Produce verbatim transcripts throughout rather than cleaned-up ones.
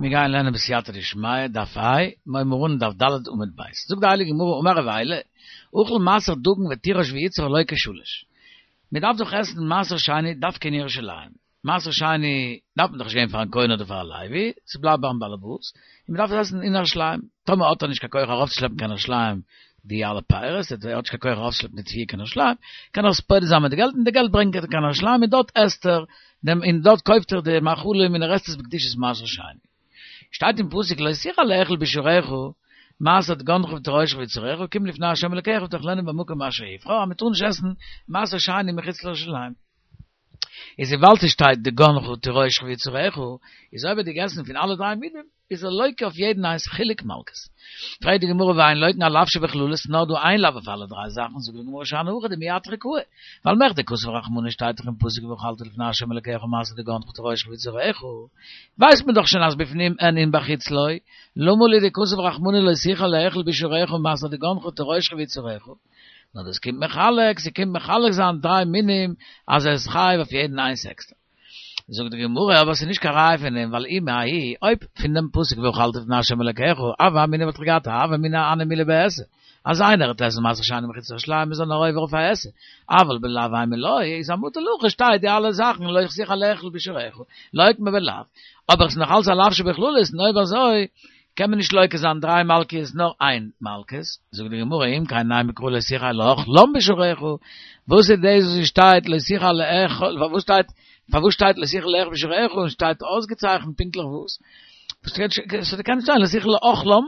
מיר גייען לערנען בסייעתא דשמיא, דף ה', מיר הייבן אן דף ד' עמוד ב'. זאגט די הייליגע גמרא, אמר רב עילאי, אכל מעשר דגן ותירוש ויצהר לוקה שלש. מען דארף דאך עסן מעשר שני דווקא אין ירושלים. מעשר שני דארף מען דאך נישט געבן פארן כהן אדער פאר א לוי, ס'בלייבט ביים באלעבאס, און מען דארף עס עסן אין ירושלים. טאמער האט ער נישט קיין כח ארויפצושלעפן קיין ירושלים די אלע פירות, ער האט נישט קיין כח ארויפצושלעפן די תבואה קיין ירושלים, קען ער עס פודה זיין מיט די געלט, און די געלט ברענגט ער קיין ירושלים און דארט עסט ער דעם און דארט קויפט ער די מאכלים און ער עסט עס בקדושת מעשר שני. שטייט אין פסוק לא תוכל לאכול בשעריך מעשר דגנך ותירושך ויצהרך כי אם לפני ה' אלקיך ותאכלנו במקום אשר יבחר אז מען טאר נישט עסן מעשר שני מחוץ לירושלים. איז וויבאלד ס'שטייט דגנך ותירושך ויצהרך איז אויב ער האט געגעסן פון אלע דריי מינים איז ער לוקה אויף יעדן איינס חילוק מלקות. פרעגט די גמרא והאין לוקין על לאו שבכללות נאר דא איין לאו אויף אלע דריי זאכן זאגט די גמרא שאני הכא דמייתרא קאי ווייל מכדי כתב רחמנא שטייט דאך אין פסוק ואכלת לפני ה' אלקיך מעשר דגנך ותירושך ויצהרך ווייסט מען דאך שוין אז בפנים אין און בחוץ לא למה לי דכתב רחמנא לא תוכל לאכול בשעריך מעשר דגנך ותירושך ויצהרך נאר דאס קומט מחלק ס'קומט מחלק זיין דריי מינים אז ער איז חייב אויף יעדן איינס עקסטער. זאגט די גמרא, אבער ס'איז נישט קיין ראיה פון דעם, ווייל אי מההיא, אויב פון דעם פסוק ואכלת לפני ה' אלקיך, הוה אמינא וואלט איך געהאט א הוה אמינא אהני מילי בעשה, אז איינער וועט עסן מעשר שני מחוץ לירושלים איז ער נאר עובר אויף א עשה, אבל בלאו אימא לא, איז המותר להכי שטייט די אלע זאכן לא תוכל לאכול בשעריך, לוקמה בלאו, אבער ס'איז נאך אלץ א לאו שבכללות, און אויב אזוי קען מען נישט לוקה זיין דריי מלקות נאר איין מלקות, זאגט די גמרא אם כן נימא קרא לא תוכל לאכלם בשעריך, וואס איז דאס וואס שטייט לא תוכל לאכול, פארוואס שטייט פארוואס שטייט לא תוכל לאכול בשעריך און שטייט אויסגעצייכנט פונקטליך וואס? ס'קען נישט זיין לא תוכל לאכלם,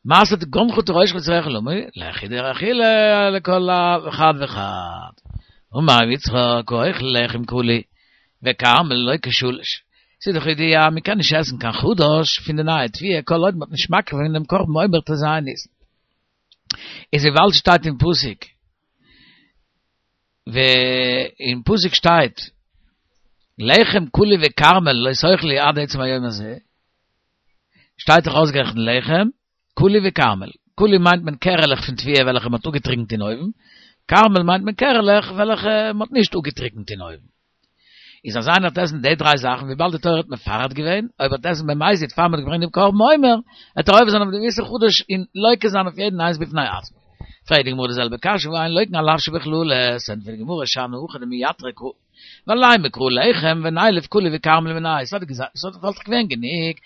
מעשר דגנך ותירושך ויצהרך למה לי, לחוד אכילה לכל אחד ואחד. אמר רב יצחק האוכל לחם קלי וכרמל לוקה שלש. ס'איז דאך ידוע אז מ'קען נישט עסן קיין חדש פון די נייע תבואה כל עוד מ'האט נישט מקריב געווען דעם קרבן עומר ט"ז ניסן. איז וויבאלד שטייט אין פסוק אין פסוק שטייט לחם קלי וכרמל לא תאכלו עד עצם היום הזה, שטייט דאך אויסגערעכנט לחם, קלי וכרמל. קלי מיינט מען קערעלעך פון תבואה וועלכע מ'האט אפגעטריקנט אין אויוון, כרמל מיינט מען קערעלעך וועלכע מ'האט נישט אפגעטריקנט אין אויוון. איז אז איינער וועט עסן די דריי זאכן, וויבאלד די תורה האט מפרט געווען, אויב ער וועט עסן במזיד פאר מ'האט געברענגט דעם קרבן עומר, וועט ער עובר זיין אויף דעם איסור חדש און לוקה זיין אויף יעדן איינס בפני עצמו. פרעגט די גמרא די זעלבע קשיא, והא אין לוקין על לאו שבכללות, ענטפערט די גמרא שאני הכא דמייתרא קאי, ווייל לימא קרא לחם ונילף קלי וכרמל מיניה, ס'האט וואלט דאך געווען גענוג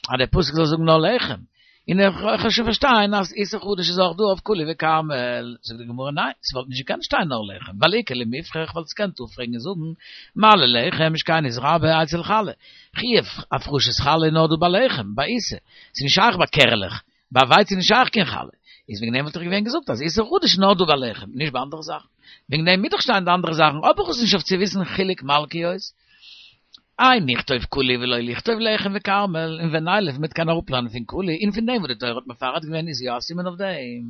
אז דער פסוק זאל זאגן נאר לחם, און איך קען שוין פארשטיין אז איסור חדש איז אויך דא אויף קלי וכרמל, זאגט די גמרא ניין, ס'וואלט נישט געקענט שטיין נאר לחם, ווייל איכא למיפרך וואלט עס געקענט אפפרעגן און זאגן מה ללחם שכן נתרבה אצל חלה, חיוב הפרשת חלה איז נאר דא ביי לחם, ביי עיסה, ס'איז נישט שייך ביי קערעלעך, ביי ווייץ איז נישט שייך קיין חלה, איז וועגן דעם וואלט איך געווען געזאגט אז איסור חדש איז נאר דא ביי לחם, נישט ביי אנדערע זאכן. וועגן דעם מוז דאך שטיין די אנדערע זאכן, האב איך עס נישט אויף צו וויסן חילוק מלקיות. איי נכתוב קלי ולא לכתוב לחם וכרמל, און ונילף מ'וועט קענען אראפלערנען פון קלי, און פון דעם וואס די תורה האט מפרט געווען איז יא א סימן אויף דעם.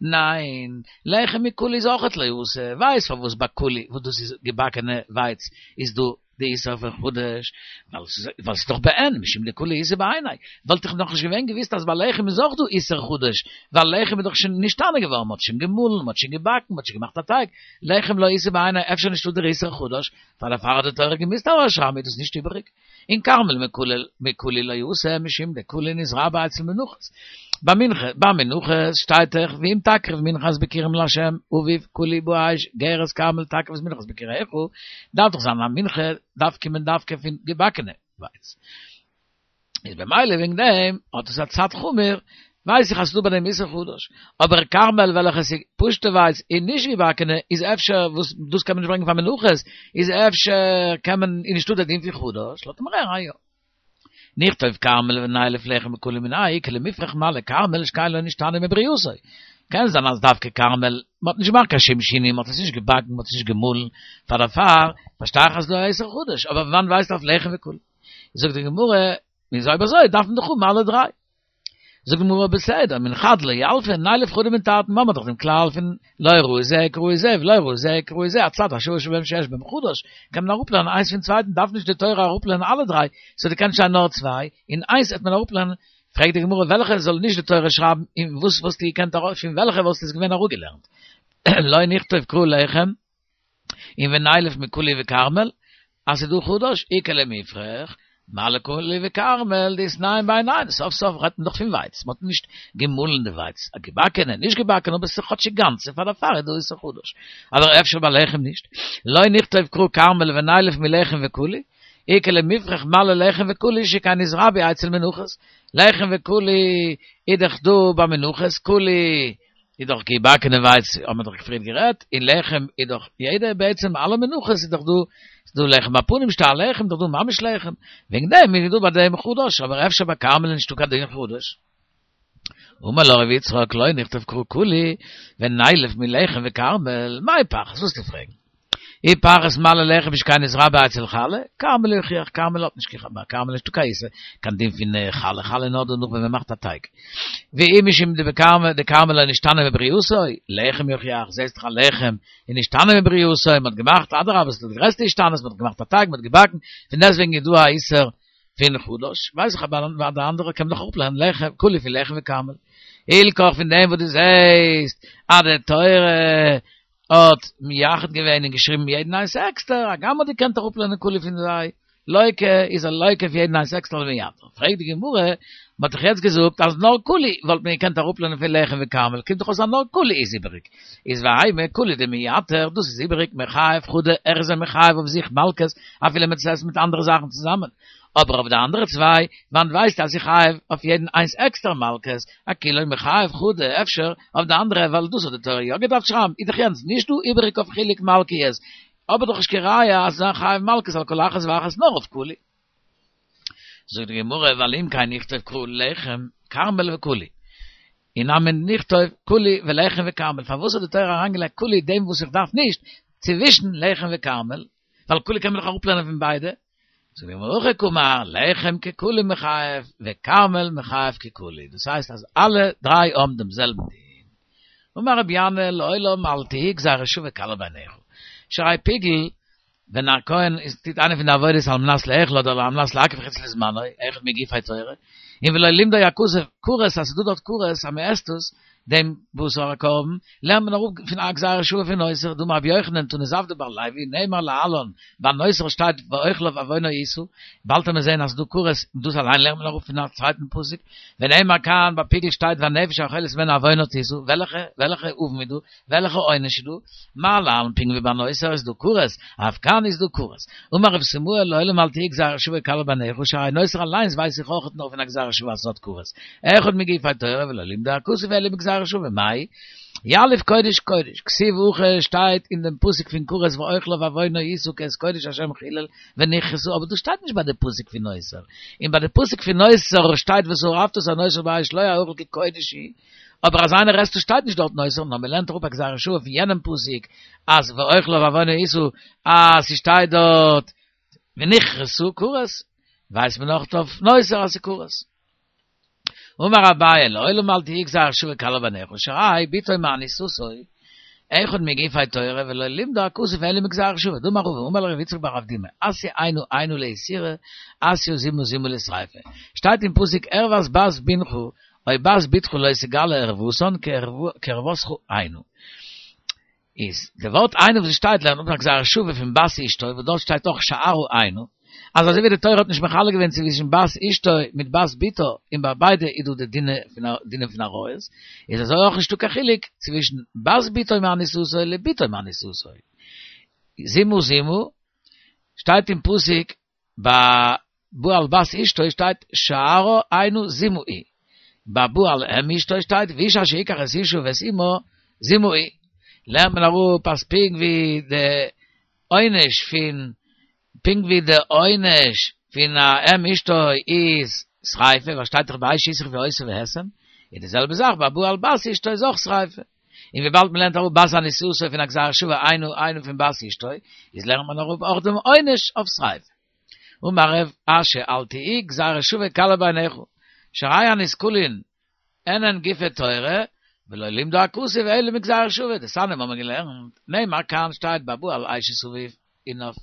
ניין, לחם מקלי איז אויכעט לא אתי, ווייסט פארוואס ביי קלי וואס דאס איז געבאקענע ווייץ איז דא די איסור פון חדש, ווייל ס'איז דאך בעין, משום דקלי איתא בעיניה, וואלט איך נאכנישט געווען געוויסט אז ביי לחם איז אויך דא איסור חדש, ווייל לחם איז דאך שוין נשתנה געווארן, מ'האט שוין געמאלן, מ'האט שוין געבאקן, מ'האט שוין געמאכט א טייג, לחם לא איתא בעיניה, אפשר נישטא דער איסור חדש, פאר דערפאר האט די תורה געמוזט ארויסשרייבן איז דאס נישט איבעריג. און כרמל מקלי לא אתי משום דקלי נתרבה אצל מנחות. ביי מנחה, ביי מנחות שטייט דאך ואם תקריב מנחת ביכורים לה' אביב קלי באש גרש כרמל תקריב את מנחת ביכוריך, דארף דאך זיין א מנחה דארף קומען דווקא פון געבאקענע ווייץ. איז במילא וועגן דעם האט עס א צד חמור, ווייס איך אז ס'דא ביי דעם איסור חדש, אבער כרמל וועלכע איז פשוטע ווייץ און נישט געבאקענע איז אפשר וואס דאס קען מען נישט ברענגען פאר מנחות, איז אפשר קען מען איז נישטא דער דין פון חדש, לאזט מען הערן א יא. נכתוב כרמל ונילף לחם מקלי מיניה איכא למיפרך מה לכרמל שכן לא נשתנה מברייתו. קען זיין אז דווקא כרמל, מ'האט נישט געמאכט קיין שום שינוי, מ'האט עס נישט געבאקן, מ'האט עס נישט געמאלן, פאר דערפאר פארשטיי איך אז ס'דא א איסור חדש, אבער פון וואנעט ווייסטו אויף לחם וקלי? זאגט די גמרא, איז אויב אזוי דארף מען דאך האבן אלע דריי. זאגט די גמרא בסדר, מן חד לא ילפא, נילף חדא מן תרתי, מ'האט דאך דעם כלל פון לא ראי זה כראי זה ולא ראי זה כראי זה, הצד השוה שבהם שיש בהם חדש, קען מען אראפלערנען איינס פון צווייטן, דארף נישט די תורה אראפלערנען אלע דריי, סאו דו קענסט שטיין נאר צוויי, און איינס וועט מען אראפלערנען, פרעגט די גמרא וועלכע זאל נישט די תורה שרייבן און וואס וואלסטו געקענט ארויס פון וועלכע וואלסטו עס געווען אראפגעלערנט? לא נכתוב קרא לחם און ונילף מקלי וכרמל אז ס'איז דא חדש איכא למיפרך מה לכולי וכרמל, דאס ניין ביי ניין, סוף סוף רעדט מען דאך פון ווייץ, מ'האט נישט געמאלן די ווייץ, א געבאקענע, נישט געבאקענע, אבער ס'איז כאטשיג גאנצע, פאר דערפאר איז דא איסור חדש. אבער אפשר ביי לחם נישט. לא נכתוב קרא כרמל ונילף מלחם וכולי, איכא למיפרך מה ללחם וכולי שכן נתרבו אצל מנחות. לחם וכולי איז דאך דא ביי מנחות, כולי איז דאך געבאקענע ווייץ, האבן מיר דאך פריער גערעדט, און לחם איז דאך יעדע בעצם אלע מנחות איז דאך דא, איז דא לחם הפנים שטא לחם, דאך דא ממש לחם. וועגן דעם איז דא ביי דעם חדש, אבער אפשר ביי כרמל נישטא קיין דין חדש. אמר לו רבי יצחק, לא נכתוב קרא כולי, ונילף מלחם וכרמל, מאי פחת, וואס צו פרעגן? אי פחת מה ללחם שכן נתרבה אצל חלה, כרמל יוכיח, כרמל האט נישט קיין כרמל נישטא קיין איסור, קיין דין פון חלה, חלה נאר דערנאך ווען מען מאכט א טייג. ואי משום דבכרמל, דכרמל לא נשתנה מברייתו, לחם יוכיח, זעסט דאך א לחם איז נשתנה מברייתו, מען האט געמאכט, אדרבה, ס'איז די גרעסטע השתנות, מען האט געמאכט א טייג, מען האט געבאקן, פון דעסטוועגן איז דא א איסור פון חדש, ווייס איך אבער ביי די אנדערע קען מען דאך אפלערנען לחם, כולי פון לחם וכרמל. הילכך פון דעם וואס דו זעסט אז די תורה האט מייחד געווען און געשריבן יעדן איינס עקסטער, הגם מ'האט געקענט אראפלערנען כולי פון זיי, לוקה איז ער לוקה אויף יעדן איינס עקסטער למיעטר. פרעגט די גמרא, מ'האט דאך יעצט געזאגט אז נאר כולי וואלט מען געקענט אראפלערנען פון לחם וכרמל, קומט דאך אויס אז נאר כולי איז איבעריג. איז והאימא כולי דמייתר, דאס איז איבעריג, מחייב חדא, ער איז מחייב אויף זיך מלקות, אפילו מ'טוט עס מיט אנדערע זאכן צוזאמען. אבער אויף די אנדערע צוויי, וואנעט ווייסטו אז איך חייב אויף יעדן איינס עקסטער מלקות, אכוליה מחייב חדא, אפשר אויף די אנדערע ווייל דאס האט די תורה יא געדארפט שרייבן, איז דאך יענץ נישט דא איבעריג אויף חילוק מלקיות, אבער דאך נישט קיין ראיה אז זיין חייב מלקות על כל אחת ואחת נאר אויף כולי. זאגט די גמרא ווייל אם כן נכתוב קרא לחם כרמל וכולי. אי נמי נכתוב כולי ולחם וכרמל, פארוואס האט די תורה אריינגעלייגט כולי דעם וואס איך דארף נישט, צווישן לחם וכרמל, ווייל כולי קען מען דאך אראפלערנען פון ביידע. זאגט די גמרא הכי קאמר, לחם ככולי מחייב וכרמל מחייב ככולי, דאס הייסט אז אלע דריי האבן דעם זעלבן דין. אמר רבי ינאי לעולם אל תהי גזירה שוה קלה בעיניך, שהרי פיגול, ווען א כהן איז טוט איינע פון די עבודות על מנת לאכול אדער על מנת להקריב חוץ לזמנו, אחד מגופי תורה, און ולא לימדו הכתוב כרת אז ס'איז דא דארט כרת אז מ'עסט עס, דעם בשר הקרבן, לערנט מען אראפ פון א גזירה שוה פון נותר, דאמר רבי יוחנן תנא זבדא בר לוי, נאמר להלן, ביי נותר שטייט ואוכליו עוונו ישא, באלד וועט מען זען אז ס'איז דא כרת, און דאס אליין לערנט מען אראפ פון א צווייטן פסוק, ונאמר כאן ביי פיגול שטייט והנפש האוכלת הימנו עוונה תשא, וועלכע וועלכע עוון איז דא? וועלכע עונש איז דא? מה להלן פונקט ווי ביי נותר איז דא כרת, אף כאן איז דא כרת. אמר רב סימאי לעולם אל תהי גזירה שוה קלה בעיניך, שהרי נותר אליינס ווייס איך אויך נאר פון א גזירה שוה אז ס'האט כרת. אחד מגופי תורה ולא לימדו הכתוב אלא בגזירה שוה, מאי? יליף קודש קודש, כתיב הכא שטייט אין דעם פסוק פון כרת ואוכליו עוונו ישא כי את קודש השם חילל ונכרתו, אבער דאס שטייט נישט ביי די פסוק פון נותר, און ביי די פסוק פון נותר שטייט ושרפת את הנותר באש לא יאכל כי קודש הוא, אבער אז איינער עסט עס שטייט נישט דארט נותר, נאר מ'לערנט אראפ א גזירה שוה פון יענעם פסוק אז ואוכליו עוונו ישא אז ס'שטייט דארט ונכרתו כרת, ווייסט מען אויך אויף נותר אז ס'כרת. אמר אביי לעולם אל תהי גזירה שוה קלה בעיניך שהרי בתו מאנוסתו אחד מגופי תורה ולא לימדו הכתוב אלא מגזירה שוה דאמר רבא אמר ליה רב יצחק בר אבדימי אתיא אינו אינו לאיסורא אתיא זימא זימא לשריפה שטייט אין פסוק ערות בת בנך או בת בתך לא תגלה ערותן כי ערותך אינו איז די ווארט אינו וואס שטייט לערנט אפ א גזירה שוה פון בת אשתו וואס דארט שטייט אויך שערה אינו אז אזוי ווי די תורה האט נישט מחלק געווען צווישן בת אשתו מיט בת בתו און ביי ביידע איז דא די דיני פון דינים פון עריות איז אזוי אויך נישטא קיין חילוק צווישן בת בתו מאנוסתו לבתו מאנוסתו זימה זימה שטייט אין פסוק ביי בא על בת אשתו שטייט שערה אינו זימה היא ביי בא על אם אשתו שטייט ואיש אשר יקח את האשה ואת אמה זימה היא לערנט מען אראפ אז פונקט ווי די עונש פון פונקט ווי די עונש פון א אם אשתו איז שריפה, ווייל שטייט דאך באש ישרפו אותה והאסם, איז די זעלבע זאך ביי בא על בת אשתו איז אויך שריפה. און וויבאלד מען לערנט אראפ בת אנוסתו פון א גזירה שוה אינו אינו פון בת אשתו, איז לערנט מען אראפ אויך דעם עונש אויף שריפה. אמר רב אשי אל תהי גזירה שוה קלה בעיניך, שהרי הנסקלין אינן גופי תורה, ולא לימדו הכתוב אלא מגזירה שוה, דתניא האבן מיר געלערנט, נאמר כאן שטייט ביי בא על אשת אביו, און אויף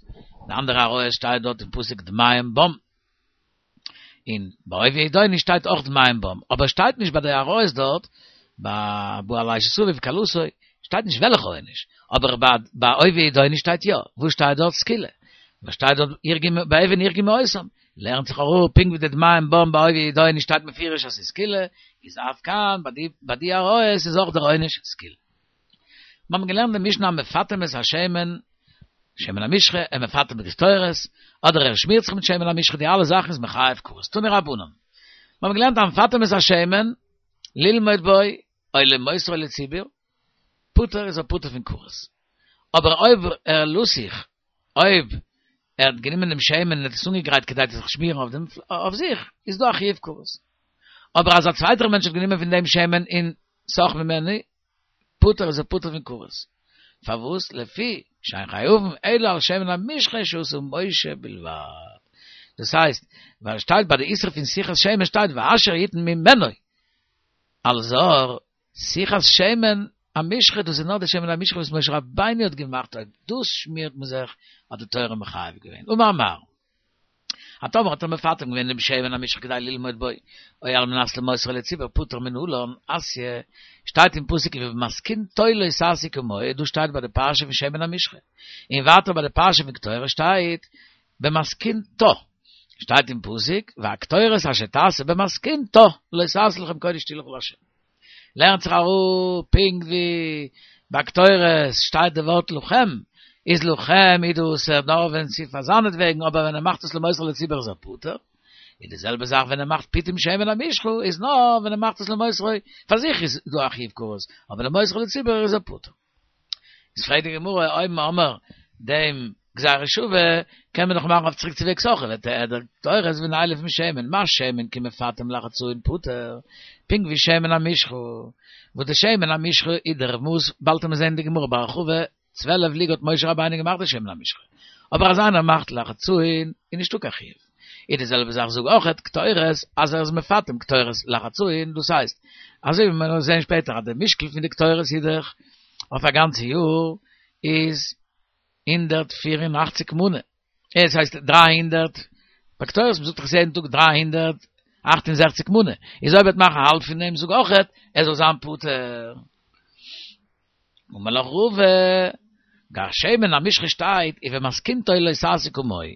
די אנדערע עריות שטייט דארט אין פסוק דמיהם בם, און ביי אויבי ידעוני שטייט אויך דמיהם בם, אבער שטייט נישט ביי די עריות דארט, ביי בא על אשת אביו וכלתו, שטייט נישט וועלכע עונש, אבער ביי אויבי ידעוני שטייט יא, וואס שטייט דארט סקילה, וואס שטייט דארט באבן ירגמו אותם, לערנט זיך אראפ, פונקט ווי די דמיים באים בעובי ידו שטייט מפורש אז ס'איז סקילה, איז אף כאן, ביי די ביי די עריות איז אויך דער עונש סקילה. מיר האבן געלערנט די משנה המפטם את השמן, שמן המשחה, המפטם בקטורת, אדער ער שמירט זיך מיט שמן המשחה, די אלע זאכן איז מחייב כרת. תנו רבנן. מיר האבן געלערנט המפטם את השמן, ללמוד בו, או למוסרו לציבור, פטור איז ער פטור פון כרת. אבער אויב ער לסיך, אויב ער האט גענומען דעם שמן און האט עס אנגעגרייט כדי צו זיך שמירן אויף דעם, אויף זיך, איז דא א חיוב כרת. אבער אז א צווייטער מענטש האט גענומען פון דעם שמן און סך ממנו, פטור איז ער פטור פון כרת. פארוואס? לפי שאין חייבין אלא על שמן המשחה שעשה משה בלבד. דאס הייסט, ווייל שטייט ביי די איסור פון סיכת שמן שטייט ואשר יתן ממנו. אלזא, סיכת שמן המשחה, דאס איז נאר די שמן המשחה וואס משה רבינו האט געמאכט, אויב דאס שמירט מען זיך, האט די תורה מחייב געווען. אמר מר. אז טאמער האט ער מפטם געווען דעם שמן המשחה כדי ללמוד בו, או על מנת למוסרו לציבור פטור מנלן, אתיא, שטייט אין פסוק ובמתכנתו לא תעשו כמוהו, דא שטייט ביי די פרשה פון שמן המשחה, און ווייטער ביי די פרשה פון קטורת שטייט במתכנתה, שטייט אין פסוק והקטורת אשר תעשה במתכנתה לא תעשו לכם קודש תהי' לך לה'. לערנט זיך אראפ פונקט ווי ביי קטורת שטייט די ווארט לכם, איז לכם איז דאס נאר ווען ס'איז פאר זיינעטוועגן, אבער ווען ער מאכט עס למוסרו לציבור איז ער פטור. איז די זעלבע זאך ווען ער מאכט פיטום שמן המשחה איז נאר ווען ער מאכט עס למוסרו פאר זיך איז דא א חיוב כרת, אבער למוסרו לציבור איז ער פטור. איז פרעגט די גמרא אויב מ'האמער דעם גזירה שווה קען מען דאך מאכן אויף צוריק צו וועגס אויך וליתדר קטורת ונילף משמן מה שמן כי מפטם לחצאין פטור פונקט ווי שמן המשחה וואס די שמן המשחה איז דער מאס באלד וועט מען זען אין די גמרא בהרחבה צוועלף לוג האט משה רבינו געמאכט די שמן המשחה אבער אז איינער מאכט לחצאין איז נישטא קיין חיוב איז די זעלבע זאך זאג אויכעט קטורת אז ער איז מפטם קטורת לחצאין דאס הייסט אזוי ווי מיר זען שפעטער אז די משקל פון די קטורת איז דאך אויף א גאנצע יאר איז הונדערט פֿיר און אַכציק מנה, עס הייסט דרײַ הונדערט, ביי קטורת מ'זאגט דאך יעדן טאג דרײַ הונדערט אַכט און זעכציק מנה, איז אויב ער וועט מאכן האלב פון דעם זאג אויכעט ער זאל זיין פטור. אמר לך רבא, גבי שמן המשחה שטייט ובמתכנתו לא תעשו כמוהו,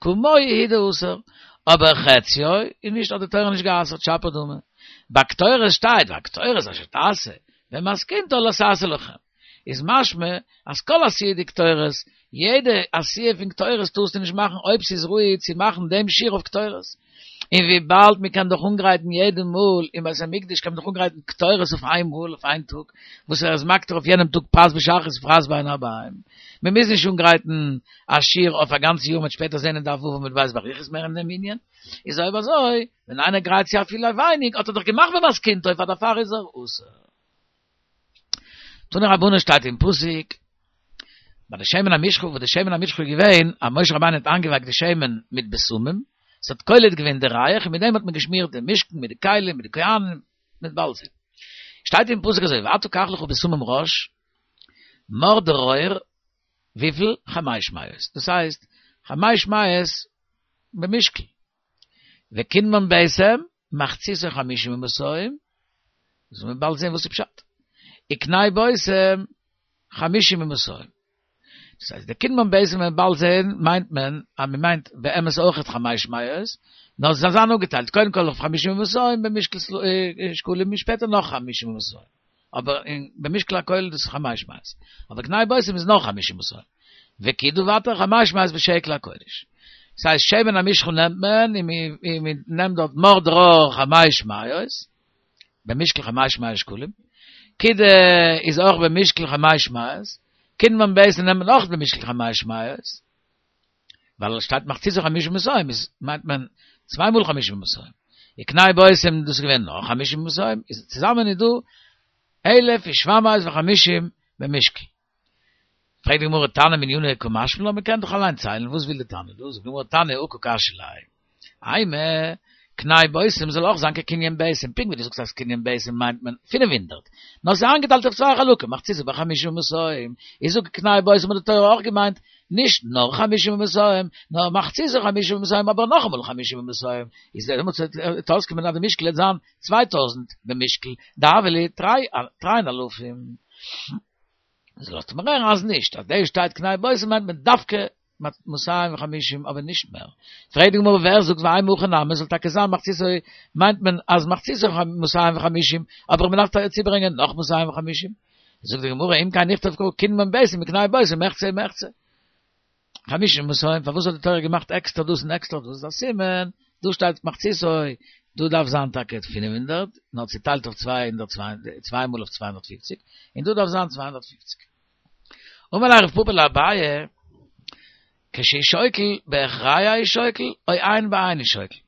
כמוהו הוא דאסור, אבער חציו איז נישט האט די תורה נישט גע'אסר'ט שפיר דמי, ביי קטורת שטייט והקטורת אשר תעשה במתכנתה לא תעשו לכם, איז משמע אז כל עשיה דקטורת, יעדע עשיה פון קטורת טארסטו נישט מאכן אויב ס'איז ראוי צו מאכן דעם שיעור אויף קטורת. און וויבאלד מ'קען דאך אנגרייטן יעדע מאל אין בית המקדש קען מען דאך אנגרייטן קטורת אויף איין מאל אויף איין טאג, וואס ער איז מקטיר אויף יענעם טאג פרס בשחרית ופרס בין הערביים. מ'מוז נישט אנגרייטן א שיעור אויף א גאנצע יאר מ'וועט שפעטער זען אין דף ו' עמוד ב' באריכות מער אין דעם ענין. איז אויב אזוי, ווען איינער גרייט צו אפילו ווייניג האט ער דאך געמאכט במתכנתו פאר דערפאר איז ער אסור. תנו רבנן שטייט אין פסוק ביי די שמן המשחה וואס די שמן המשחה איז געווען אז משה רבינו האט איינגעווייקט די שמן מיט בשמים עס האט קולט געווען די ריח און מיט דעם האט מען געשמירט די משכן מיט די כלים מיט די כהנים מיט בלז שטייט אין פסוק אזוי ואתה קח לך בשמים ראש מר דרור וויפיל חמש מאות דאס הייסט חמש מאות במשקל וקנמן בשם מחציתו חמישים ומאתים, זאל מען באלד זען וואס איז פשט. וקנה בושם חמישים ומאתים. דאס הייסט, די קנמן בשם מען באלד זען מיינט מען, אז מען מיינט באמת אויכעט חמש מאות, נאר עס זאל זיין אפגעטיילט, קודם כל אויף חמישים ומאתים במשקל שקלים און שפעטער נאך חמישים ומאתים. אבער אין במשקל הכולל דאס איז חמש מאות. אבער קנה בושם איז נאך חמישים ומאתים. וכידה ווייטער חמש מאות בשקל הקודש. ס'הייסט שמן המשחה נעמט מען און מען נעמט דארט מר דרור חמש מאות, במשקל חמש מאות שקלים, כידה איז אויך במשקל חמש מאות, קנמן בשם נעמט מען אויך במשקל חמש מאות, ווייל עס שטייט מחציתו חמישים ומאתים איז מיינט מען צוויי מאל חמישים ומאתים, וקנה בושם דאס איז געווען נאך חמישים ומאתים, איז צוזאמען איז דא אלף ושבע מאות וחמישים במשקל. פרעגט די גמרא תנא מנינא קא משמע לן, מען קען דאך אליין ציילן, וואס וויל די תנא דא? זאגט די גמרא תנא הא קא קשיא ליה, אימא, קנה בושם זאל אויך זיין כקנין בשם, פונקט ווי דו זאגסט אז קנין בשם מיינט מען פינף הונדערט, נאר ס'איז איינגעטיילט אויף צוויי חלקים, מחציתו בחמישים ומאתים, איז זאג קנה בושם האט די תורה אויך געמיינט נישט נאר חמישים ומאתים, נאר מחציתו חמישים ומאתים אבער נאכאמאל חמישים ומאתים, איז דעמאלטס וועט אויסקומען אז די משקל וועט זיין צוויי טויזנט במשקל, דהוה להו תרין אלפים. איז לאזט מען הערן אז נישט, אז דא שטייט קנה בושם מיינט מען דווקא מאתיים וחמישים, אבער נישט מער. פרעגט די גמרא ווער זאגט ואימא הכי נמי, זאל טאקע זיין מחציתו, מיינט מען אז מחציתו מאתיים וחמישים, אבער מען דארף צוברענגען נאך מאתיים וחמישים. זאגט די גמרא אם כן נכתוב קרא קינמון ביתים מקנה בושם מחצה ומחצה. חמישים ומאתים, פארוואס האט די תורה געמאכט עקסטער דאס און עקסטער דאס? א סימן, דא שטייט מחציתו, דא דארף זיין טאקע פֿינף הונדערט, נאר צוטיילט אויף צוויי הונדערט צוויי מאל אויף צוויי הונדערט פֿופֿציק, און דא דארף זיין צוויי הונדערט פֿופֿציק. אמר ליה רב פפא לאביי, כשהוא שוקל בהכרע הוא שוקל, או עין בעין הוא שוקל.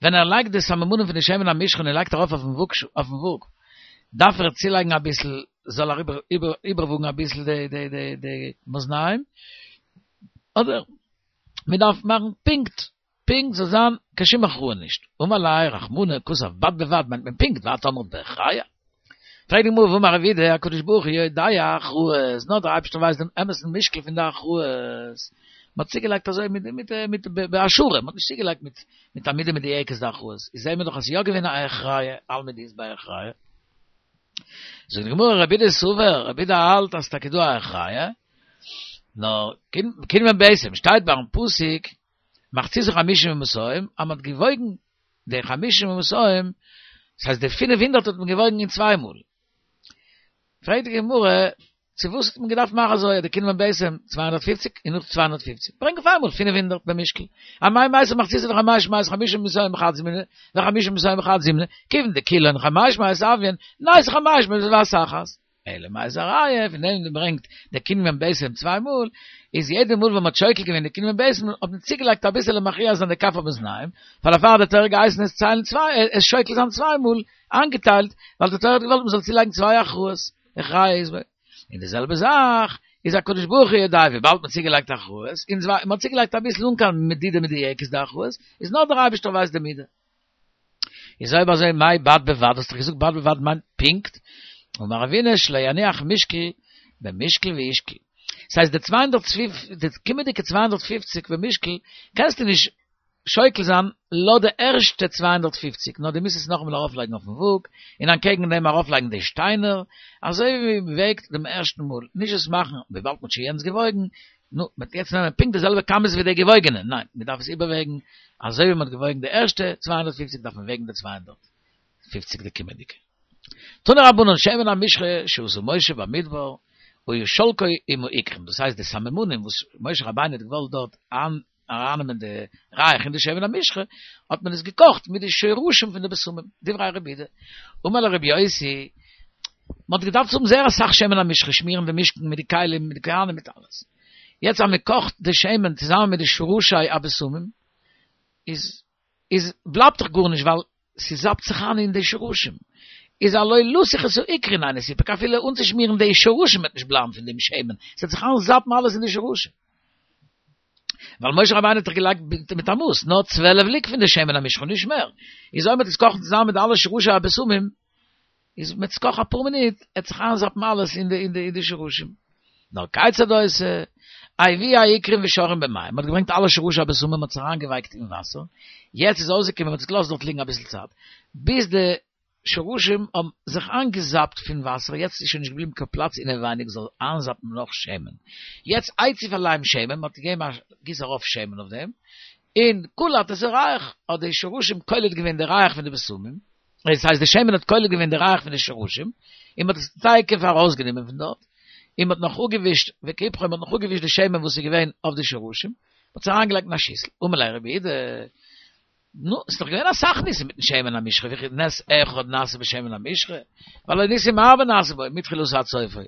ווען ער לייגט די סממנים פון די שמן המשחה און ער לייגט ארויף אויפן וואג, דארף ער צולייגן אביסל, זאל ער איבערוואגן אביסל די די די די מאזניים, אדער מען דארף מאכן פונקט, פונקט זאל זיין קיין שום הכרעה נישט. אמר ליה רחמנא כתב בד בבד מיינט מען פונקט ואת אמרת בהכרע? פרעגט די גמרא והאמר רב יהודה הקדוש ברוך הוא יודע הכרעות, נאר דער אייבערשטער ווייסט דעם אמת'ן משקל פון די הכרעות, מען האט צוגעלייגט אזוי מיט מיט מיט בהשערה, מען האט נישט צוגעלייגט מיט מיט א מידה מדויקת די הכרעות, איז זעהן מיר דאך אז ס'איז יא געווען א הכרע, אלמא דאית ביה הכרע. זאגט די גמרא רבי יהודה סבר, רבי יהודה האלט אז ס'טאקע דא א הכרע, נאר קינמון ביתים, שטייט ביים פסוק מחציתו חמישים ומאתים, אז מ'האט געוואויגן די חמישים ומאתים, דאס הייסט די פינף הונדערט האט מען געוואויגן אין צוויי מאל. פרעגט די גמרא, צו וואס האט מען געדארפט מאכן אזוי, די קינמון ביתים צוויי הונדערט פֿופֿציק און נאך צוויי הונדערט פֿופֿציק, ברענג אויף איינמאל פינף הונדערט במשקל, אמאי מייתי מחציתו דחמש מאות חמישים ומאתים בחד זימנא, וחמישים ומאתים בחד זימנא, כיוון דכולן חמש מאות הויין, נייתי חמש מאות בבת אחת. אלא מאי איז א ראיה פון דעם ברענגט די קינמון ביתים צוויי מאל, איז יעדע מאל ווען מ'האט שוקל געווען די קינמון ביתים האט מען צוגעלייגט אביסעלע מכריע זיין די כף המאזניים, ווייל דערפאר האט די תורה געהייסן עס ציילן צוויי עס שוקל זיין צוויי מאל איינגעטיילט, ווייל די תורה האט געוואלט מ'זאל צולייגן צוויי הכרעות, הכרע איז און די זעלבע זאך איז הקדוש ברוך הוא יודע וויבאלד מ'האט צוגעלייגט הכרעות, און מ'האט צוגעלייגט אביסל אן קיין מדידה מדויקת די הכרעות, איז נאר דער אייבערשטער ווייסט די מידה. איז אויב אזוי מאי בד בבד, האסט דאך געזאגט בד בבד מיינט פונקט, אמר רבינא שלא יניח משקל במשקל וישקול. ס'הייסט די צוויי הונדערט די קומענדיגע צוויי הונדערט פֿופֿציק במשקל קענסטו נישט שוקל זיין לויט די ערשטע צוויי הונדערט פֿופֿציק נאר דו מוזט עס נאכאמאל ארויפלייגן אויפן וואג און אנטקעגן דעם ארויפלייגן די שטיינער אזוי ווי מ'וועגט דעם ערשטן מאל, נישט עס מאכן וויבאלד מ'האט שוין יענץ געוואויגן, נו, מ'וועט יעצט נעמען פונקט די זעלבע כמות ווי די געוואויגענע, ניין, מ'דארף עס איבערוועגן, אזוי ווי מ'האט געוואויגן די ערשטע צוויי הונדערט פֿופֿציק דארף מען וועגן די צוויי הונדערט פֿופֿציק די קומענדיגע. תנו רבנן שמן המשחה שעשה משה במדבר היה שולקו עם העיקרים, דאס הייסט די סממנים וואס משה רבינו האט געוואלט דארט ארייננעמען די ריח אין די שמן המשחה, האט מען עס געקאכט מיט די שורשים פון די בשמים, דברי רבי יהודה. אמר לו רבי יוסי, מען האט געדארפט האבן זייער אסאך שמן המשחה, שמירן די משכן מיט די כלים, מיט די כהנים, מיט אלעס. יעצט אז מען קאכט די שמן צוזאמען מיט די שרשי הבשמים, איז איז בלייבט דאך גארנישט ווייל ס'זאפט זיך איין אין די שרשים. איז הלא לסוך את העיקרין אינו סיפק אפילו אנצושמירן די שרשים וועט נישט בלייבן פון דעם שמן, ס'וועט זיך איינזאפן אלעס אין די שרשים. ווייל משה רבינו האט דאך געלייגט מיט א מאס, נאר צוועלף לוג פון די שמן המשחה נישט מער. איז אויב מ'וועט עס קאכן צוזאמען מיט די אלע שרשי הבשמים, איז מ'וועט עס קאכן אפאר מינוט, עט זיך איינזאפן אלעס אין די אין די אין די שרשים. נאר כיצד עושה, הביאו העיקרים ושראום במים, מ'האט געברענגט אלע שרשי הבשמים מ'האט עס אריינגעווייקט אין וואסער, יעצט איז אויסגעקומען מ'האט עס געלאזט דארט ליגן אביסל צייט, ביז די שרשים האבן זיך איינגעזאפט פון וואסער, יעצט איז שוין נישט געבליבן קיין פלאץ אינעווייניג זאל איינזאפן נאך שמן, יעצט הציף עליהם שמן, מ'האט געגעבן א גיס ארויף שמן אויף דעם, און קלט את הריח, האט די שרשים קולט געווען די ריח פון די בשמים, דאס הייסט די שמן האט קולט געווען די ריח פון די שרשים, און מ'האט עס תיכף ארויסגענומען פון דארט, און מ'האט נאך אפגעווישט, וכיפחו, מ'האט נאך אפגעווישט די שמן וואס איז געווען אויף די שרשים, מ'האט עס אריינגעלייגט אין א שיסל, אמר ליה רבי יהודה, נו, ס'איז דאך געווען אסאך ניסים מיטן שמן המשחה, וכי נס אחד נעשה בשמן המשחה, והלא ניסים הרבה נעשו בו, מתחילתו עד סופו,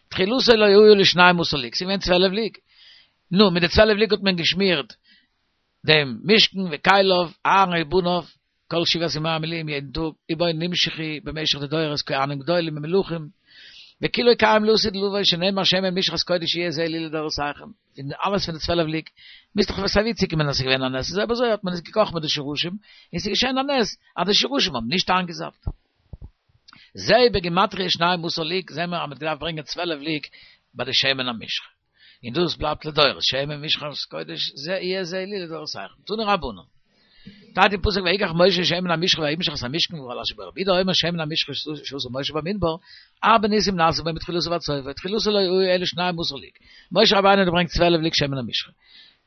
תחילתו לא היה אלא שנים עשר לוג, ס'איז געווען צוועלף לוג, נו, מיט די צוועלף לוג האט מען געשמירט דעם משכן וכליו, אהרן ובניו, כל שבעת ימי המילואים יעדן טאג, ובו נמשחו במשך די דורות כהנים גדולים ומלכים, וכולו קיים לעתיד לבוא שנאמר שמן משחת קודש יהיה זה לי לדורותיכם, פון אלעס פון די צוועלף לוג, מוז דאך סיי ווי צוקומען אז ס'איז געווען א נס, איז אויב אזוי האט מען עס געקאכט מיט די שרשים, און ס'איז געשען א נס אז די שרשים האבן נישט איינגעזאפט. זהו בגימטריא שנים עשר לוג, זעהן מיר אז מ'האט געדארפט ברענגען צוועלף לוג ביי די שמן המשחה. און דאס בלייבט לדורות, שמן משחת קודש זה יהיה זה לי לדורותיכם. תנו רבנן. שטייט אין פסוק ויקח משה שמן המשחה וימשח את המשכן וכל אשר בו רבי יהודה אומר שמן המשחה שעשה משה במדבר הרבה ניסים נעשו בו מתחילתו ועד סופו תחילתו לא היה אלא שנים עשר לוג משה רבינו האט געברענגט צוועלף לוג שמן המשחה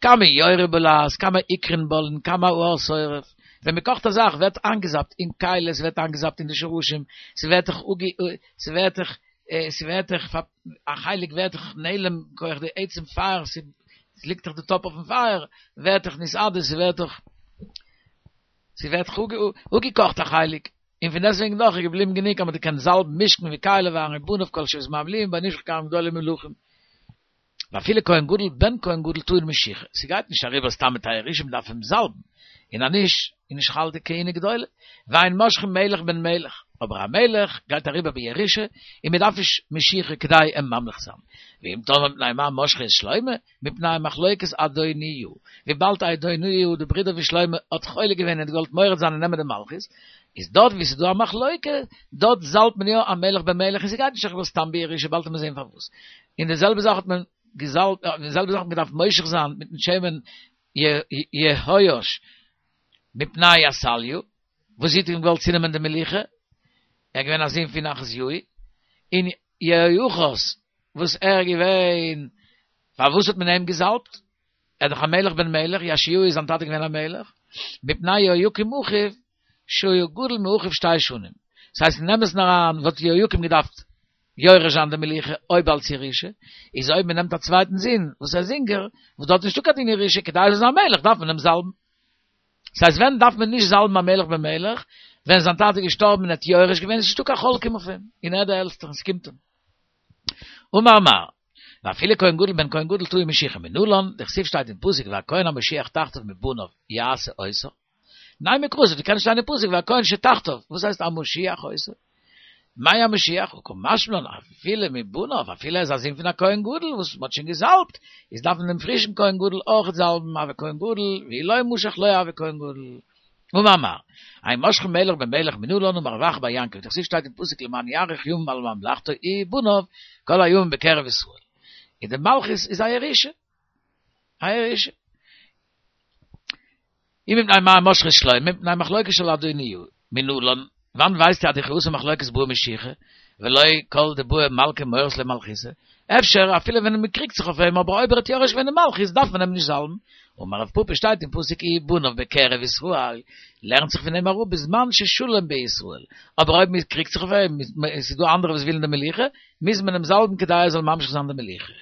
כמה יוירע בלעז, כמה איקרין בולן, כמה אור סוירף. ווען מען קאכט א זאך, ווערט אנגעזאפט אין קייל, עס ווערט אנגעזאפט אין די שורשים, ס'ווערט דאך אוגי, ס'ווערט דאך, ס'ווערט דאך, א חלק ווערט דאך נעלם, כוח די עצם פייער, ס'ליגט דאך די טאפ אויפן פייער, ווערט דאך נסעדה, ס'ווערט דאך, ס'ווערט דאך אפגעקאכט א חלק. און פון דעסטוועגן דאך איז געבליבן גענוג אז מען קען זאלבן משכן וכלי ואהרן ובניו כל שבעת ממליאים בנשך כהנים גדולים ומלכים. ואפילו כהן גדול בן כהן גדול טעון משיחה, ס'גייט נישט אריבער סתם מיט א ירושה מ'דארף אים זאלבן, און אז נישט איז נישט חל די כהונה גדולה, ואין מושחין מלך בן מלך, אבער א מלך גייט אריבער בירושה און מ'דארף נישט משיחה כדי אים ממליך זיין, ואם תאמר מפני מה משחו את שלמה, מפני מחלוקת אדוניהו, וויבאלד אדוניהו די ברודער פון שלמה האט חולק געווען און האט געוואלט מורד זיין און נעמען די מלכות, איז דארט ווי ס'איז דא א מחלוקה, דארט זאלבט מען יא א מלך בן מלך און ס'גייט נישט אריבער סתם בירושה, באלד וועט מען זען פארוואס. און די זעלבע זאך האט מען געזאלבט, די זעלבע זאך האט מען געדארפט מושח זיין מיטן שמן יהואש מפני עתליה, וואס זי האט אים געוואלט צונעמען די מלוכה, ער איז געווען א זון פון אחזיהו, און יהואחז וואס ער איז געווען, פארוואס האט מען אים געזאלבט? ער איז דאך א מלך בן מלך, יאשיהו איז זיין טאטע געווען א מלך, מפני יהויקים אחיו שהיה גדול מאחיו שתי שנים. ס'הייסט אין אמת'ן אריין וואלט יהויקים געדארפט יורש זיין די מלוכה אויב אלס ירושה, איז אויב מ'נעמט א צווייטן זון וואס איז אינגער, וואס דארט איז נישטא קיין דין ירושה, כדי ער זאל זיין מלך דארף מען אים זאלבן. ס'הייסט ווען דארף מען נישט זאלבן א מלך בן מלך? ווען זיין טאטע איז געשטארבן און ער האט יורש געווען איז נישטא קיין חולקים אויף אים, און ער איז דער עלטסטער און ס'קומט אים. אמר מר. ואפילו כהן גדול בן כהן גדול טעון משיחה מנלן, דכתיב שטייט אין פסוק והכהן המשיח תחתיו מבניו יעשה אותו, נימא קרא ס'קען שטיין אין פסוק והכהן שתחתיו, וואס הייסט המשיח אותו? מאי המשיח? קא משמע לן אפילו מבניו, אפילו ער איז א זון פון א כהן גדול וואס מ'האט שוין געזאלבט, איז דארף מען דעם פרישן כהן גדול אויכעט זאלבן, הוי כהן גדול, ואי לא משח לא הוי כהן גדול. אמר מר. אין מושחין מלך בן מלך מנלן אמר רב אחא בר יעקב, דכתיב שטייט אין פסוק למען יאריך ימים על ממלכתו ובניו כל הימים בקרב ישראל. און די מלכות איז א ירושה. א ירושה. און מפני מה משחו את שלמה, מפני מחלוקת של אדוניהו, מנלן, וואנעט ווייסטו אז דכי אתא מחלוקת בעי משיחה, ולא כל דבעי מלכא מורית ליה מלכותא, אפשר אפילו ווען מען קריגט זיך אויף אים אבער אויב ער האט יורש געווען די מלכות דארף מען אים נישט זאלבן, אמר רב פפא שטייט אין פסוק ובניו בקרב ישראל, לערנט זיך פון דעם אראפ בזמן ששלום בישראל, אבער אויב מען קריגט זיך אויף אים, עס איז דא אנדערע וואס ווילן די מלוכה, מוז מען אים זאלבן כדי ער זאל ממשיך זיין די מלוכה.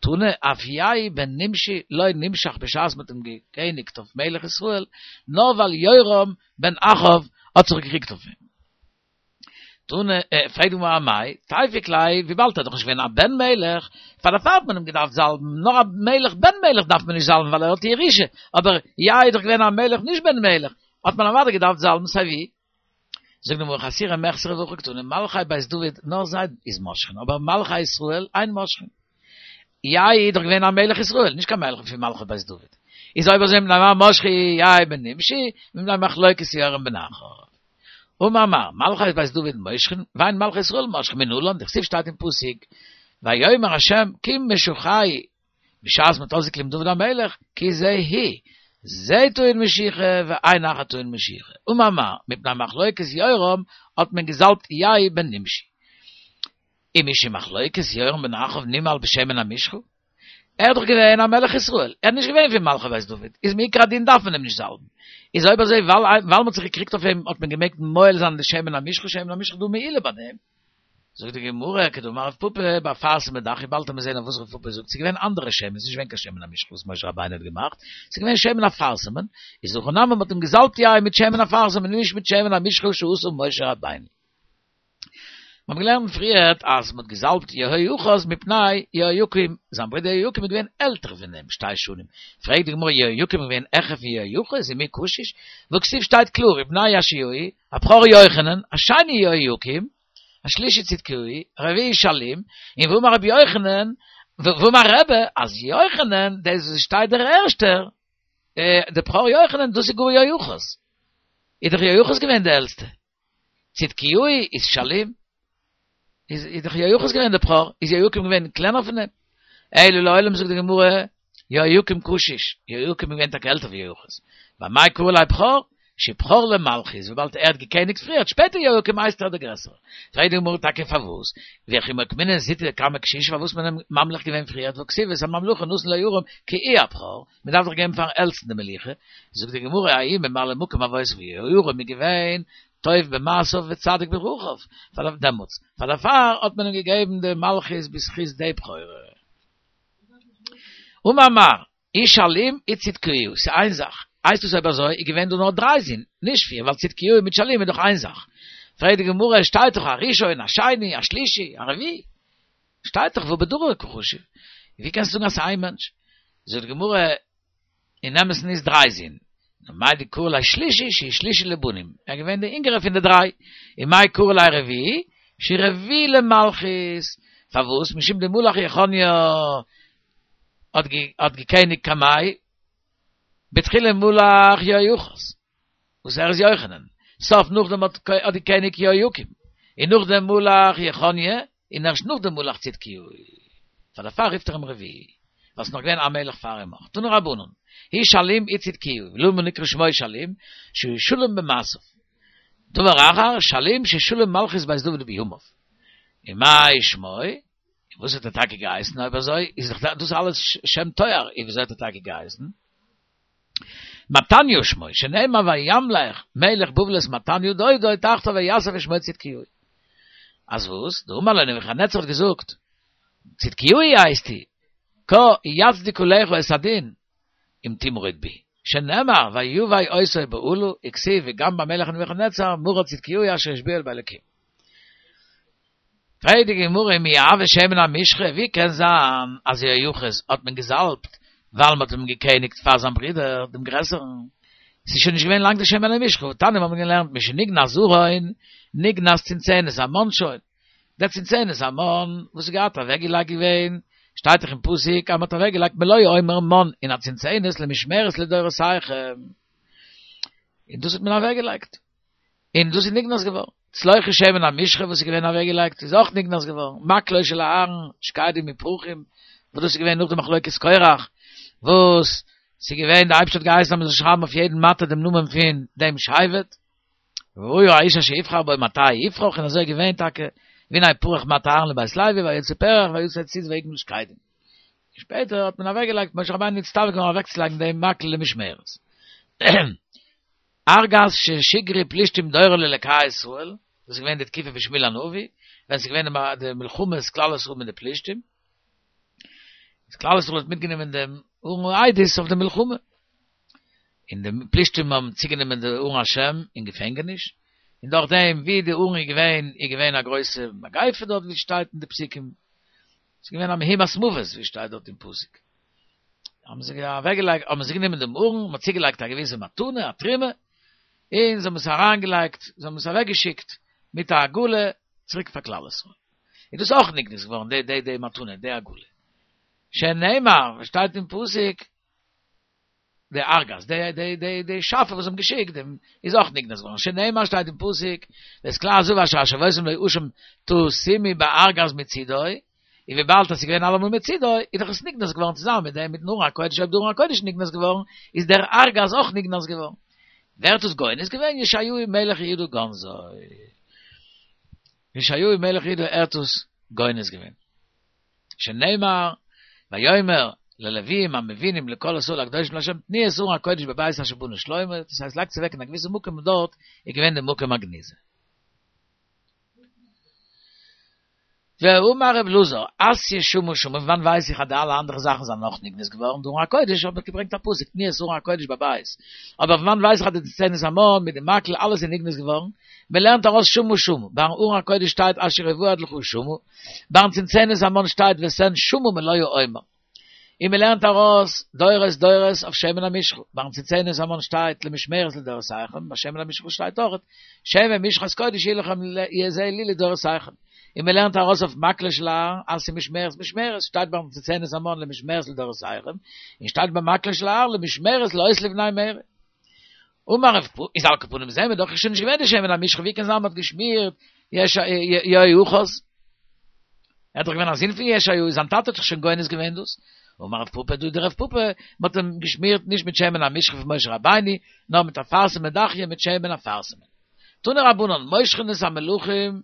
תנא, אף יהוא בן נמשי לא נמשח בשעת מ'האט אים געקעניגט אויף מלך ישראל, נאר ווייל יורם בן אחאב האט זיך געקריגט אויף אים. תנא, פרעגט די גמרא אמאי, תיפוק ליה, וויבאלד ער איז דאך נישט געווען א בן מלך, פאר דערפאר האט מען אים געדארפט זאלבן, נאר א מלך בן מלך דארף מען נישט זאלבן ווייל ער האט ירושה, אבער יהוא איז דאך געווען א מלך נישט בן מלך, האט מען אוודאי געדארפט זאלבן סיי ווי. זאגט די גמרא חסורי מחסרא והכי קתני מלכי בית דוד נאר זיי איז מושחין אבער מלכי ישראל אין מושחין. יהוא איז דאך געווען א מלך ישראל נישט קיין מלך פון מלכי בית דוד. איז אויב אזוי מפני מה משחו יהוא בן נמשי מפני מחלוקת יורם בן אחאב. אמר מר, מלכי בית דוד מושחין ואין מלכי ישראל מושחין מנלן דכתיב שטייט אין פסוק ויאמר ה' כי משחהו בשעת מ'האט אויסגעקליבן דוד המלך, כי זה הוא, זה טעון משיחה ואין אחר טעון משיחה. אמר מר, מפני מחלוקת יורם האט מען געזאלבט יהוא בן נמשי. ומשום מחלוקת יורם בן אחאב נימהל בשמן המשחה? ער איז דאך געווען א מלך ישראל, ער איז נישט געווען פון מלכי בית דוד, איז מעיקר הדין דארף מען אים נישט זאלבן. איז אויב אזוי ווייל מ'האט זיך געקריגט אויף אים האט מען געמעגט מועל זיין די שמן המשחה, שמן המשחה איז דא מעילה ביי דעם. זאגט די גמרא, כדאמר רב פפא, באפרסמא דכי, באלד וועט מען זען אויף וואס רב פפא זאגט, ס'איז געווען אנדערע שמן, ס'איז נישט געווען קיין שמן המשחה וואס משה רבינו האט געמאכט, ס'איז געווען שמן אפרסמון, איז הכא נמי מ'האט אים געזאלבט יהוא מיט שמן אפרסמון און נישט מיט שמן המשחה שעשה משה רבינו. מיר האבן געלערנט פריערט אז מ'האט געזאלבט יהואחז מפני יהויקים, זיין ברודער יהויקים איז געווען עלטער פון אים שתי שנים, פרעגט די גמרא יהויקים איז געווען העכער פון יהואחז ומי קשיש, והכתיב שטייט קלאר ובני יאשיהו, הבכור יוחנן, השני יהויקים, השלישי צדקיהו, הרביעי שלום, און ואמר רבי יוחנן, ואמר רבי, אז יוחנן, דאס וואס שטייט דער ערשטער, דער בכור יוחנן, דאס איז גאר יהואחז. איז דאך יהואחז געווען דער עלטסטער. צדקיהו איז שלום, איז דאך יהואחז געווען דער בכור, איז יהויקים געווען קלענער פון אים. אלא לעולם זאגט די גמרא, יהויקים קשיש, יהויקים איז געווען טאקע עלטער ווי יהואחז. ואמאי קרי ליה בכור? שבכור למלכות, וויבאלד ער האט געקעניגט פריער, שפעטער יהויקים הייסט ער דער גרעסערער. פרעגט די גמרא טאקע פארוואס, וכי מוקמינן זוטא קמי קשישא פארוואס מען אים ממליך געווען פריער, והכתיב ואת הממלכה נתן לירום כי הוא הבכור, מען דארף דאך געבן פארן עלטסטן די מלוכה, זאגט די גמרא ההוא ממלא מקום אבותיו יהוירם איז געווען טוב במעשיו וצדיק בדרכיו, פאר דעמאלטס, פאר דערפאר האט מען אים געגעבן די מלכות בזכות די בכורה. אמר מר, הוא שלום הוא צדקיהו, ס'איז איין זאך, הייסט עס אויב אזוי איז געווען דא נאר דריי זין, נישט פיר, ווייל צדקיהו מיט שלום איז דאך איין זאך. פרעגט די גמרא, עס שטייט דאך הראשון, השני, השלישי, הרביעי. שטייט דאך והא בדרא קא חשיב. ווי קענסטו זאגן אז ס'איז איין מענטש? זאגט די גמרא, אין אמת'ן איז דריי זין. מאי דקרי ליה שלישי שהוא שלישי לבנים, ער איז געווען דער אינגערער פון די דריי. און מאי קרי ליה רביעי שהוא רביעי למלכות. פארוואס? משום דמלך יכניה האט געקעניגט קמיה, בתחילה מלך יהואחז, וואס ער איז יוחנן, סוף נאכדעם האט געקעניגט יהויקים, און נאכדעם מלך יכניה, און ערשט נאכדעם מלך צדקיהו. פאר דערפאר רופט ער אים רביעי, ווייל ס'איז נאך געווען א מלך פאר אים אויך. תנו רבנן, הוא שלום הוא צדקיהו, ולמה נקרא שמו שלום, שהוא שלם במעשיו. דבר אחר, שלום ששלם מלכות בית דוד בימיו. ומאי שמו, וואס האט ער טאקע געהייסן אויב אזוי איז דאך דאס אלעס שם תואר, און וויאזוי האט ער טאקע געהייסן? מתניה שמו, שנאמר וימלך מלך בבל את מתניה דודו תחתיו ויסב את שמו צדקיהו. אז וואס? דאמר לו נבוכדנצר האט געזאגט, צדקיהו הייסטו, כה יצדיק עליך את הדין, אם תמרוד בי, שנאמר ויבא אותו באלה, וכתיב וגם במלך נבוכדנצר מרד צדקיהו אשר השביעו באלקים. פרעגט די גמרא מי הוה שמן המשחה, ווי קען זיין אז יהואחז האט מען געזאלבט ווייל מען האט אים געקעניגט פאר זיין ברודער דעם גרעסערן, ס'איז שוין נישט געווען לאנג די שמן המשחה, והתניא מיר האבן געלערנט משנגנז ארון נגנז צנצנת המן שוין, דער צנצנת המן וואס איז געהאט אוועקגעלייגט געווען, שטייט דאך אין פסוק אז מען האט אוועקגעלייגט מלא עומר מן אין א צנצנת למשמרת לדורותיכם, און דאס האט מען אוועקגעלייגט. און דאס איז נגנז געווארן. צלוחית שמן המשחה וואס איז געווען אוועקגעלייגט איז אויך נגנז געווארן. מקלו של אהרן, שקדים ופרחים, וואס דאס איז געווען נאך די מחלוקת קורח, וואס ס'איז געווען, די אייבערשטער האט געהייסן אז מ'זאל שרייבן אויף יעדן מטה דעם נאמען פון דעם שבט, והיה האיש אשר יבחר בו מטהו יפרח, און אזוי איז געווען טאקע, והנה פרח מטה אהרן לבית לוי, ויצא פרח ויצא ציץ ויגמל שקדים. שפעטער האט מען אוועקגעלייגט, משה רבינו נצטווה געווארן אוועקצולייגן דעם מקל למשמרת. ארגז ששיגרו פלישתים דורו לאלקי ישראל, דאס איז געווען די תקופה פון שמואל הנביא, ווען ס'איז געווען די מלחמות כלל ישראל מיט די פלישתים, איז כלל ישראל האט מיטגענומען דעם ארון העדות אויף די מלחמה, און די פלישתים האבן צוגענומען די ארון השם אין געפענגעניש, און דורך דעם ווי די ארון איז געווען, איז געווען א גרויסע מגיפה דארט ווי שטייט אין די פסוקים, ס'איז געווען א מהומת מוות ווי שטייט דארט אין פסוק. האבן זיי אוועקגעלייגט, האבן זיי גענומען דעם ארון, מ'האט צוגעלייגט א געוויסע מתנה, א תרומה, און זיי האבן עס אריינגעלייגט, זיי האבן עס אוועקגעשיקט מיט א עגלה צוריק פאר כלל ישראל. איז דאס אויך נגנז געווארן, די די די מתנה, די עגלה. שנאמר, וואס שטייט אין פסוק, די ארגז, די די די די שאפע וואס האבן געשיקט דעם איז אויך נגנז געווארן, שנאמר שטייט אין פסוק, ואת כלי הזהב אשר השבותם לאשם תשימו בארגז מצידו, און וויבאלד עס איז געווען אלעמאל מצידו, איז דאך עס נגנז געווארן צוזאמען מיט דעם מיטן ארון הקודש, אויב די ארון הקודש איז נגנז געווארן, איז דער ארגז אויך נגנז געווארן. ווער האט עס גונז געווען? יאשיהו מלך יהודה גנזו. יאשיהו מלך יהודה ער האט עס גונז געווען. שנאמר, ויאמר ללוויים המבינים לכל ישראל הקדושים לה' תנו את ארון הקודש בבית אשר בנה שלמה, דאס הייסט לייגטס אוועק אין א געוויסע מקום און דארט איז געווען די מקום הגניזה. ואמר רב אלעזר, אתיא שומו שמו, פון וואנט ווייס איך אז די אלע אנדערע זאכן זענען אויך נגנז געווארן, די ארון הקודש האב איך געברענגט א פסוק, תנו את ארון הקודש בבית, אבער פון וואנט ווייס איך אז די צנצנת המן מיט די מקל אלעס איז נגנז געווארן, מען לערנט ארויס שומו שמו, ביים ארון הקודש שטייט אשר יוועד לך שמה, ביים צנצנת המן שטייט ותן שמה מלא העומר. און מען לערנט ארויס דורות דורות אויף שמן המשחה, ביים צנצנת המן שטייט למשמרת לדורותיכם, ביי שמן המשחה שטייט אויך שמן משחת קודש יהיה לכם זה לי לדורותיכם, און מען לערנט ארויס אויף מקלו של אהרן אז ס'איז משמרת משמרת, שטייט ביים צנצנת המן למשמרת לדורותיכם, און שטייט ביים מקלו של אהרן למשמרת לאות לבני מררי. אמר רב פפא, איז על כל פנים זעהן מיר דאך איז שוין נישט געווען די שמן המשחה ווי קען זיין מ'האט געשמירט יהואחז? ער האט דאך געווען א זון פון יאשיהו, זיין טאטע האט דאך שוין גונז געווען דאס. אמר רב פפא, דא דער רב פפא, מ'האט אים געשמירט נישט מיט שמן המשחה פון משה רבינו, נאר מיט אפרסמון דכיא מיט שמן אפרסמון. תנו רבנן, מושחין את המלכים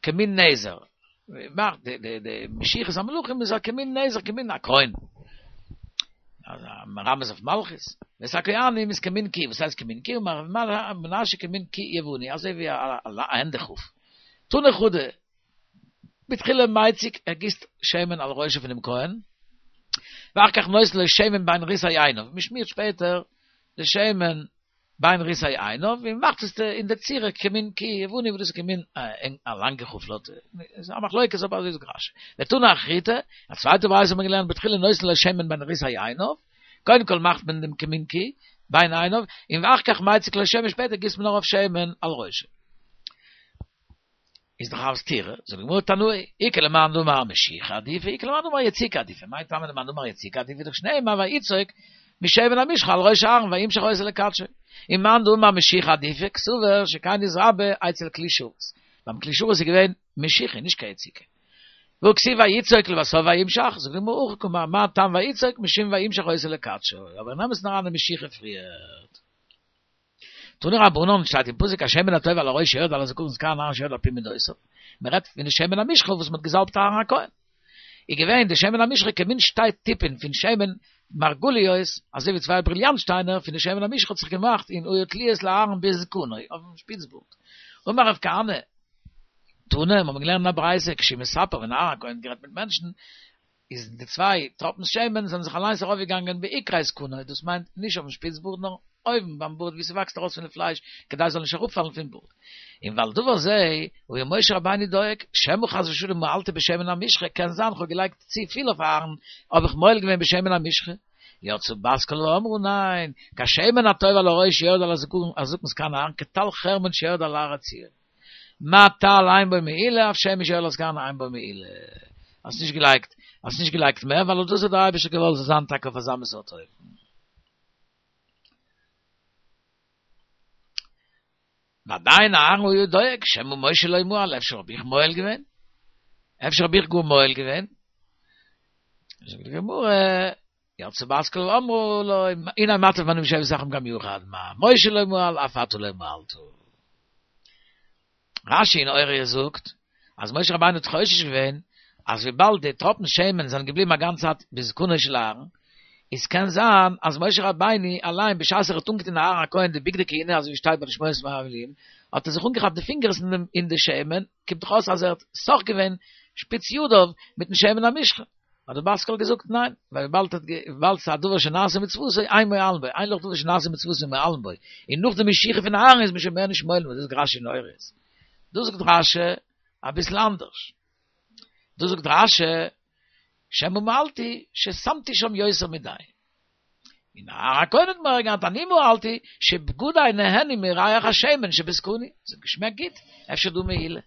כמין נזר. מאכט די די די משיחת המלכים איז א כמין נזר, כמין א קרוין. אז מרמז אויף מלכות. ואת הכהנים איז כמין כור, וואס הייסט כמין כור? אמר רב מנשיא כמין כור יווני, אזוי ווי א הענדע-כוף. תני חדא, בתחילה מציק, ער גיסט שמן על ראשו פונעם כהן, ואחר כך נותן לו שמן בין ריסי עיניו, מען שמירט שפעטער די שמן בין ריסי עיניו, און מען מאכט עס אין די צורה כמין כור יווני, וואס דאס איז כמין א לאנגע חופלאטע, איז א מחלוקת אבער אזוי זאגט רשי. ותני אחריתי, א צווייטע ברייתא האט מען געלערנט בתחילה נותן לו שמן בין ריסי עיניו, קודם כל מאכט מען דעם כמין כור בין עיניו, און ואחר כך מציק לו שמן, שפעטער גיסט מען ארויף שמן על ראשו. איז דאך א סתירה, זאגט די גמרא תנאי, איכא למאן דאמר משיחה עדיפא, איכא למאן דאמר יציקה עדיפא, מאי טעמא למאן דאמר יציקה עדיפא, דאך שנאמר ויצוק משמן המשחה על ראש אהרן וימשח אותו לקדשו. ומאן דאמר משיחה עדיפא, קסבר שכן נתרבה אצל כלי שרת. ביים כלי שרת איז געווען משיחה, נישט קיין יציקה. והא כתיב ויצוק לבסוף וימשח, זאגט די גמרא הכי קאמר, מה טעם ויצוק משום וימשח אותו לקדשו, אבער אין אמת'ן אריין איז משיחה פריערט. תנו רבנן שטייט אין פסוק השמן הטוב על הראש שירד על הזקן זקן אהרן שירד על פי מדותיו, מען רעדט פון די שמן המשחה וואס מען האט געזאלבט אהרן הכהן, איז געווען די שמן המשחה כמין שתי טיפין פון שמן מרגליות, אזוי ווי צוויי בריליאנט שטיינער פון די שמן המשחה האט זיך געמאכט און היו תלויות לאהרן בזקנו אויפן שפיץ בארד. אמר רב כהנא, תנא, מיר האבן געלערנט אין א ברייתא, כשהוא מספר ווען אהרן הכהן האט גערעדט מיט מענטשן, איז די צוויי טראפנס שמן זענען זיך אליינס ארויפגעגאנגען בעיקרי זקנו, דאס מיינט נישט אויפן שפיץ בארד נאר אויבן ביים בארד ווי ס'וואקסט ארויס פון די פלייש כדי ס'זאל נישט אראפפאלן פון בארד. און ועל דבר זה היה משה רבינו דואג, שמא חס ושלום מעלתי בשמן המשחה, קען זיין כ'האב געלייגט צו פיל אויף אהרן, האב איך מועל געווען בשמן המשחה. יצאה בת קול ואמרה ניין, כשמן הטוב על הראש שיורד על הזקן זקן אהרן כטל חרמון שיורד על הר עציון. מה טל אין בו מעילה אף שמן שיורד על הזקן אין בו מעילה. האסט נישט געלייגט, האסט נישט געלייגט מער ווייל דאס האט דער אייבערשטער געוואלט זאל זיין טאקע אויף אזא מין סארט אופן. ועדיין אהרן היה דואג, שמא משה לא מעל, אפשר האב איך מועל געווען? אפשר האב איך גאר מועל געווען? זאגט די גמרא, יצאה בת קול ואמרה לו, הנה מטיב מנים שבת אחים גם יחד, מה משה לא מעל, אף אתה לא מעלת. רשי אין הוריות זאגט, אז משה רבינו האט חושש געווען, אז וויבאלד די טראפן שמן זענען געבליבן א גאנצע צייט בזקנו של אהרן, איז קען זיין אז משה רבינו אליין בשעת ער האט אנגעטון אהרן הכהן די בגדי כהונה אזוי ווי שטייט ביי די שמונת ימי המילואים, האט ער זיך אנגעכאפט די פינגערס אין די שמן, קומט דאך אויס אז ער האט סך געווען שפיץ ידיו מיטן שמן המשחה. האט די בת קול געזאגט ניין, ווייל וויבאלד וויבאלד ס'איז א דבר שנעשה מצוותו אין מועלין בו, אין לך דבר שנעשה מצוותו מועלין בו, און נאך די משיחה פון אהרן איז מען שוין מער נישט מועל בו, דאס זאגט רשי אין הוריות. דא זאגט רשי אביסל אנדערש. דא זאגט רשי שמא מעלתי ששמתי שם יותר מדי. און אהרן הכהן האט מורא געהאט אני מעלתי שבגדי נהנו מריח השמן שבזקני. ס'האט געשמעקט גוט, אפשר דא מעילה.